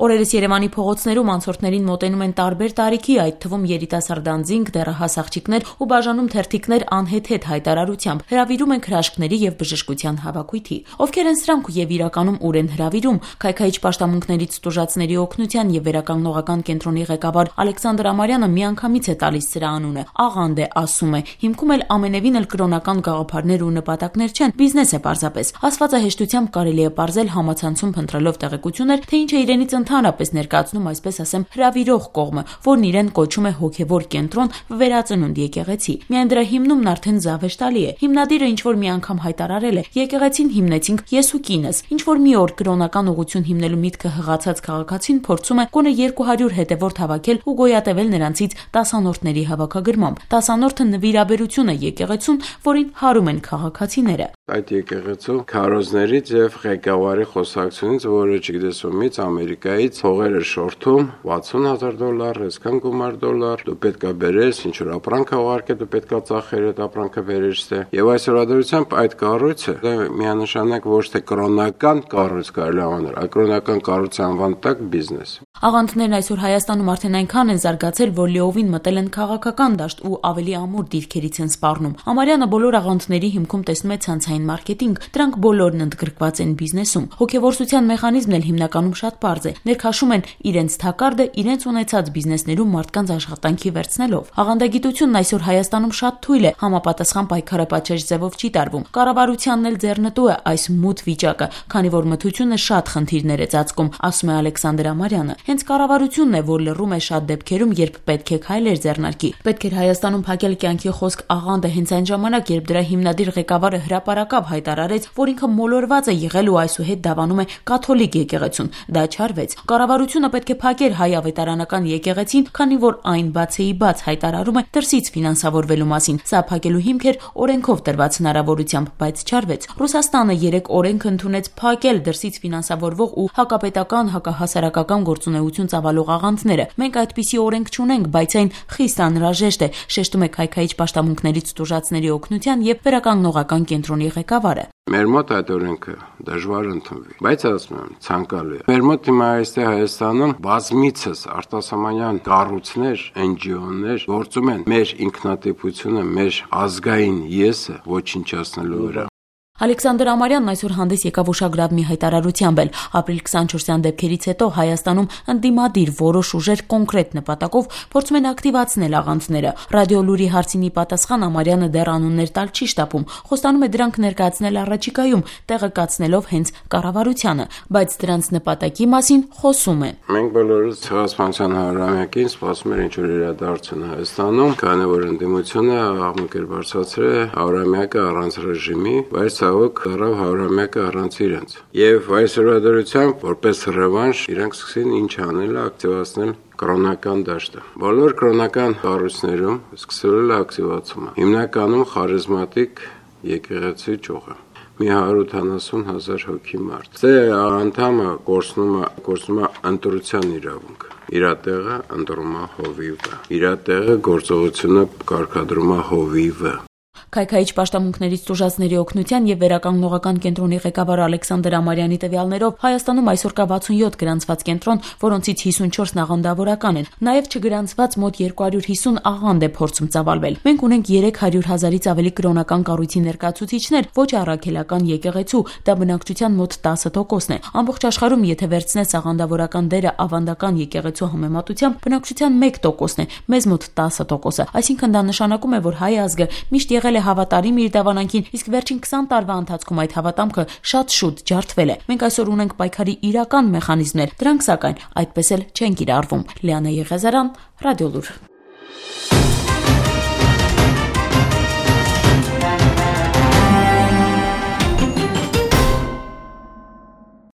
Օրերս Երևանի փողոցներում անցորդներին մոտենում են տարբեր տարիքի, այդ թվում երիտասարդանձինք, դեռահաս աղջիկներ ու բաժանում թերթիկներ անհեթեթ հայտարարությամբ, հրավիրում են հրաշքների եւ բժշկության հավաքույթի։ Ովքեր են սրանք եւ իրականում ուր են հրավիրում, Քայքայիչ պաշտամունքներից տուժածների օգնության եւ վերականգնողական կենտրոնի ղեկավար Ալեքսանդր Ամարյանը միանգամից է տալիս սրա անունը։ Աղանդ է, ասում է, հիմքում էլ ամենևին էլ կրոնական գաղափարներ ու նպատակներ չեն, բիզնես է պարզապես։ Ասվածը հեշտությամբ կարելի է պարզել համացանցում փնտրելով տեղեկություններ, թե ինչ է իրենից ընդհանրապես ներկայացնում, այսպես ասեմ, հրավիրող կողմը, որն իրեն կոչում է հոգևոր կենտրոն վերածնունդ եկեղեցի։ Միայն դրա հիմնումն արդեն զավեշտալի է։ Հիմնադիրը ինչ որ մի անգամ հայտարարել է. եկեղեցին հիմնեցինք ես ու կինս։ Ինչ որ մի օր կրոնական ուղղություն հիմնելու միտքը հղացած քաղաքացին փորձում է գոնե 200 հետևորդ հավաքել ու գոյատևել նրանցից 10-անորդների հավաքագրմամբ։ 10-անորդը նվիրաբերություն է եկեղեցուն, որին հարում են քաղաքացիները։ Այդ եկեղեցու քարոզներից եւ ղեկավարի խոսակցությունից, որը չգիտես ումից Ամերիկայից փողերը շորթում $60,000, այսքան գումար $, դու պետքա բերես, ինչ որ ապրանք ուղարկե, դու պետքա ծախեր այդ ապրանքը բերես թե։ Եվ այսօր դրությամբ այդ կառույցը դա միանշանակ ոչ թե կրոնական կառույց կարելի անել, այլ կրոնական կառույցի անվան տակ բիզնես։ Աղանդներն այսօր Հայաստանում արդեն այնքան են զարգացել, որ լիովին մտել են քաղաքական դաշտ ու ավելի ամուր դիրքերից են սպառնում։ Ամարյանը բոլոր աղանդների հիմքում տեսնում է ցանցային մարքեթինգ, դրանք բոլորն ընդգրկված են բիզնեսում։ Հոգևորսության մեխանիզմն էլ հիմնականում շատ պարզ է։ Ներքաշում են իրենց թակարդը իրենց ունեցած բիզնեսներում մարդկանց աշխատանքի վերցնելով։ Աղանդագիտությունն այսօր Հայաստանում շատ թույլ է, համապատասխան պայքարապաճեճ ձևով չի տարվում։ Կառավարությանն էլ ձեռնտու է այս մութ վիճակը, քանի որ մթությունը շատ խնդիրներ է ծածկում, ասում է Ալեքսանդր Ամարյանը։ Հենց կառավարությունն է, որ լռում է շատ դեպքերում, երբ պետք է քայլեր ձեռնարկի։ Պետք էր Հայաստանում փակել կյանքի խոսք աղանդը հենց այն ժամանակ, երբ դրա հիմնադիր ղեկավարը հրապարակավ հայտարարեց, որ ինքը մոլորված է եղել ու այսուհետ դավանում է կաթոլիկ եկեղեցուն։ Դա չարվեց։ Կառավարությունը պետք է փակեր հայ ավետարանական եկեղեցին, քանի որ այն բացեի բաց հայտարարում է դրսից ֆինանսավորվելու մասին։ Սա փակելու հիմք էր օրենքով տրված հնարավորությամբ, բայց չարվեց։ Ռուսաստանը 3 օրենք ընդունեց փակել դրսից ֆինանսավորվող ու հակապետական, հակահասարակական գործունեություն ծավալող աղանդները։ Մենք այդպիսի օրենք չունենք, բայց այն խիստ անհրաժեշտ է, շեշտում է Քայքայիչ պաշտամունքներից տուժածների օգնության եւ վերականգնողական կենտրոնի ղեկավարը։ Մեր մոտ այդ օրենքը դժվար ընդունվի, բայց ասում եմ, ցանկալի է։ Մեր մոտ հիմա այստեղ Հայաստանում բազմիցս արտասահմանյան կառույցներ, NGO-ներ գործում են մեր ինքնատիպությունը, մեր ազգային եսը ոչնչացնելու վրա։ Ալեքսանդր Ամարյանն այսօր հանդես եկավ ուշագրավ մի հայտարարությամբ էլ։ Ապրիլ 24-յան դեպքերից հետո Հայաստանում ընդդիմադիր որոշ ուժեր կոնկրետ նպատակով փորձում են ակտիվացնել աղանդները։ Ռադիոլուրի հարցինի պատասխան Ամարյանը դեռ անուններ տալ չի շտապում, խոստանում է դրանք ներկայացնել առաջիկայում, տեղը կացնելով հենց կառավարությանը, բայց դրանց նպատակի մասին խոսում է։ Մենք բոլորս ցեղասպանության հարյուրամյակին սպասում ենք ինչ որ իրադարձություն Հայաստանում, քանի որ ընդդիմությունը աղմուկ էր բարձրացրել հարյուրամյակը առանց ռեժիմի, բայց ցավոք դարավ հարյուրամյակը առանց իրենց։ Եվ այսօրվա դրությամբ որպես ռևանշ իրենք սկսին ինչ անել, ակտիվացնել կրոնական դաշտը։ Բոլոր կրոնական կառույցներում սկսվել է ակտիվացումը։ Հիմնականում խարիզմատիկ եկեղեցի ճյուղը։ Մի 170,000 հոգի մարդ։ Դե անդամը կորցնում է ընտրության իրավունք։ Իր տեղը ընտրում է հովիվը։ Իր տեղը գործողությունը կարգադրում է հովիվը։ Քայքայիչ պաշտամունքներից տուժածների օգնության եւ վերականգնողական կենտրոնի ղեկավար Ալեքսանդր Ամարյանի տվյալներով Հայաստանում այսօր կա 67 գրանցված կենտրոն, որոնցից 54-ն աղանդավորական են։ Նաեւ չգրանցված մոտ 250 աղանդ է փորձում ծավալվել։ Մենք ունենք 300,000-ից ավելի կրոնական կառույցի ներկայացուցիչներ, ոչ առաքելական եկեղեցու, դա բնակչության մոտ 10%-ն է։ Ամբողջ աշխարհում եթե վերցնես աղանդավորական դերը ավանդական եկեղեցու համեմատությամբ, բնակչության 1%-ն է, մեզ մոտ 10%-ը։ Այսինքն դա նշանակում է, որ հայ ազգը միշտ եղել է հավատարիմ իր դավանանքին, իսկ վերջին 20 տարվա ընթացքում այդ հավատամքը շատ շուտ ջարդվել է։ Մենք այսօր ունենք պայքարի իրական մեխանիզմներ, դրանք սակայն այդպես էլ չեն կիրառվում։ Լիանա Եղիազարյան, Ռադիոլուր։